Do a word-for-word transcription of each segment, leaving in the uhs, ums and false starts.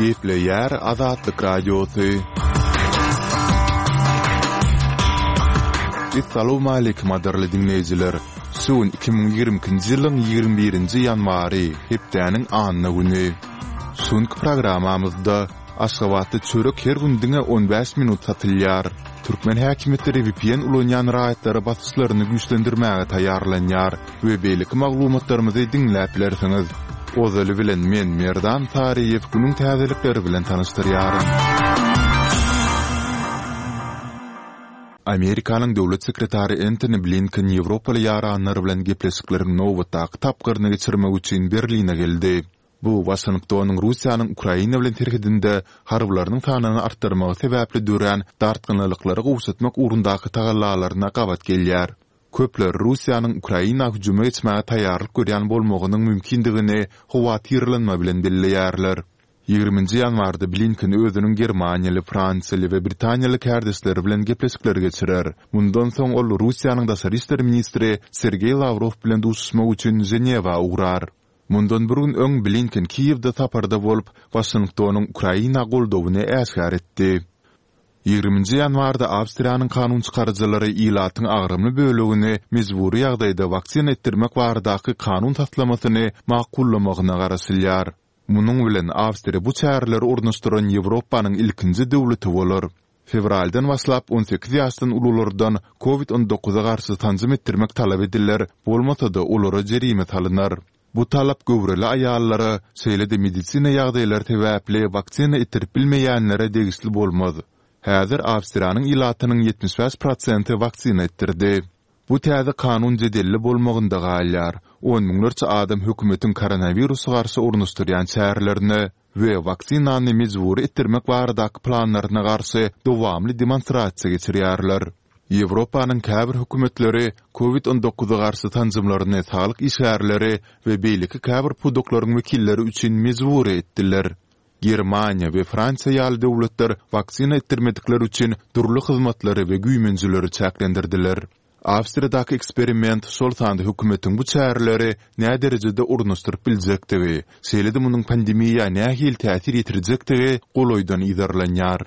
Gepleýär Azatlyk Radiosy. Essalawmaleýkim gadyrly diňleýjiler! Şu gün iki müň ýigrimi ikinji ýylyň ýigrimi birinji ýanwary, hepdäniň anna güni. Şu günki programmamyzda Aşgabatda çörek her gün diňe on bäş minut satylýar. Türkmen häkimiýetleri V P N ulanýan raýatlara basyşlaryny güýçlendirmäge taýýarlanýar we beýleki maglumatlarymyzy diňläp bilersiňiz. Ozaly bilen men Merdan Saryýew günüň täzelikleri bilen tanyşdyrýaryn. Amerikanyň döwlet sekretary Entoni Blinken Ýewropaly ýaranlar bilen gepleşikleriň nobatdaky tapgyryny geçirmek üçin Berline geldi. Bu Waşingtonyň Russiýanyň Ukraina bilen serhedinde harbylarynyň sanyny artdyrmagy sebäpli dörän dartgynlylyklary gowşatmak ugrundaky tagallalaryna gabat gelýär. Köpler Russiýanyň Ukraina hüjüme geçmäge taýýarlyk görýän bolmagynyň mümkindigini howatyrlanma bilen belleýärler. Ýigriminji ýanwarda Blinken özüniň germaniýaly, fransiýaly we britaniýaly kärdeşleri bilen gepleşikler geçirer. Mundan soň ol Russiýanyň daşary işler ministri Sergeý Lawrow bilen duşuşmak üçin Ženewa ugrar. Mundan bir gün öň Blinken Kiýewde saparda bolup, Waşingtonyň Ukraina goldawyny äşgär etdi. Ýigriminji ýanwarda Awstriýanyň kanun çykaryjylary ilatyň agramly bölegini mejbury ýagdaýda waksina etdirmek baradaky kanun taslamasyny makullamagyna garaşylýar. Munuň bilen Awstriýa bu çäreleri ornaşdyran Ýewropanyň ilkinji döwleti bolar. Fewraldan başlap on sekiz ýaşdan ululardan Covid on dokuza garşy sanjym etdirmek talap ediler, bolmasa-da olara jerime salynar. Bu talap göwreli aýallara, şeýle-de medisina ýagdaýlary sebäpli waksina etdirip bilmeýänlere degişli bolmaz. Häzir Awstriýanyň ilatynyň ýetmiş bäş prosenti waksina etdirdi. Bu täze kanun jedelli bolmagynda galýar. On müňlerçe adam hökümetiň koronawirusa garşy ornaşdyrýan çärelerine we waksinany mejbury etdirmek baradaky planlaryna garşy dowamly demonstrasiýa geçirýärler. Ýewropanyň käbir hökümetleri Covid on dokuza garşy sanjymlaryny saglyk işgärleri we beýleki käbir pudaklaryň wekilleri üçin mejbury etdiler. Germaniýa we Fransiýa ýaly döwletler waksina etdirmedikler üçin dürli hyzmatlary we güýmenjeleri çäklendirdiler. Awstriýadaky eksperiment şol sanda hökümetiň bu çäreleri näderejede ornaşdyryp biljekdigi, şeýle-de munuň pandemiýa nähili täsir ýetirjekdigi golaýdan yzarlanýar.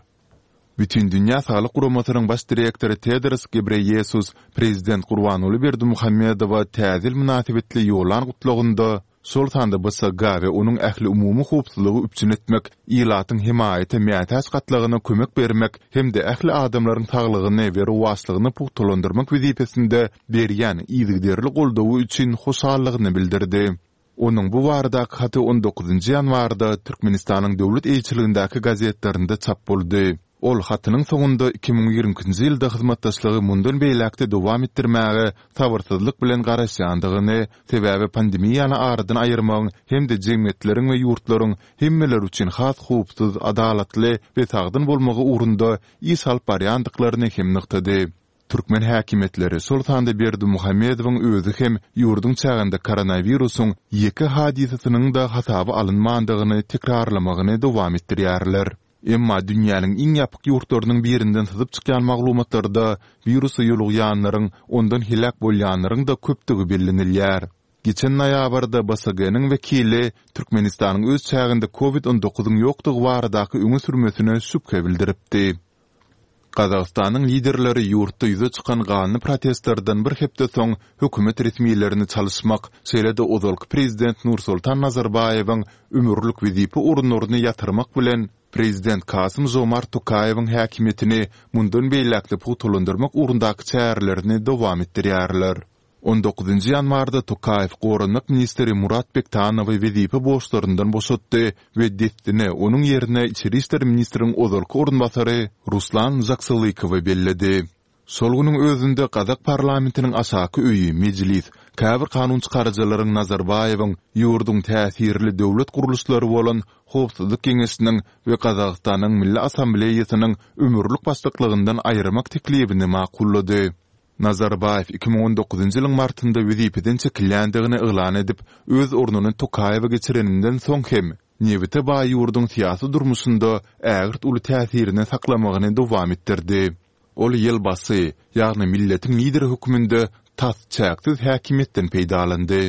Bütindünýä Saglyk Guramasynyň baş direktory Tedros Gebreýesus prezident Gurbanguly Berdimuhamedowa täze ýyl mynasybetli ýollan gutlagynda, şol sanda B S G we onuň ähliumumy howpsuzlygy üpjün etmek, ilatyň hemaýata mätäç gatlagyna kömek bermek hem-de ähli adamlaryň saglygyny we rowaçlygyny pugtalandyrmak wezipesinde berýän yzygiderli goldawy üçin hoşallygyny bildirdi. Onuň bu baradaky haty on dokuzynjy ýanwarda Türkmenistanyň döwlet eýeçiligindäki gazetlerinde çap boldy. Ol hatynyň soňunda iki müň ýigrimi ikinji ýylda hyzmatdaşlygy mundan beýläk-de dowam etdirmäge sabyrsyzlyk bilen garaşýandygyny, sebäbi pandemiýany aradan aýyrmagyň hem-de jemgyýetleriň we ýurtlaryň hemmeler üçin has howpsuz, adalatly we sagdyn bolmagy ugrunda iş alyp barýandyklaryny hem nygtady. Türkmen häkimiýetleri, şol sanda Berdimuhamedowyň özi hem ýurduň çäginde koronawirusyň ýeke hadysasynyň-da hasaba alynmandygyny tekrarlamagyny dowam etdirýärler. Emma dünýäniň iň ýapyk ýurtlarynyň birinden syzyp çykýan maglumatlarda wirusa ýolugýanlaryň, ondan heläk bolýanlaryň-da köpdügi bellenilýär. Geçen noýabrda B S G-niň wekili Türkmenistanyň öz çäginde Covid on dokuzyň ýokdugy baradaky öňe sürmesine şübhe bildiripdi. Gazagystanyň liderleri ýurtda ýüze çykan ganly protestlerden bir hepde soň hökümet resmilerini çalyşmak, şeýle-de ozalky prezident Nursultan Nazarbaýewiň ömürlik wezipe orunlaryny ýatyrmak bilen prezident Kasym Žomart Tokaýewiň häkimiýetini mundan beýläk-de pugtalandyrmak ugrundaky çärelerini dowam etdirýärler. On dokuzynjy ýanwarda Tokaýew goranmak ministri Murat Bektanowy wezipe borçlaryndan boşatdy we dessine onuň ýerine içeri işler ministriň ozalky orunbasary Ruslan Žaksylykowy belledi. Şol günüň özünde gazak parlamentiniň aşaky öýi Mejlis käbir kanun çykaryjylaryň Nazarbaýewiň ýurduň täsirli döwlet gurluşlary bolan Howpsuzlyk geňeşiniň we Gazagystanyň Milli Assambleýasynyň ömürlik başlyklygyndan aýyrmak teklibini makullady. Nazarbaýew iki müň on dokuzynjy ýylyň martynda wezipeden çekilýändigini yglan edip, öz ornuny Tokaýewe geçireninden soň hem nebite baý ýurduň syýasy durmuşynda ägirt uly täsirini saklamagyny dowam etdirdi. Ol ýelbasy, ýagny milletiň lideri hökmünde tas çäksiz häkimiýetden peýdalandy.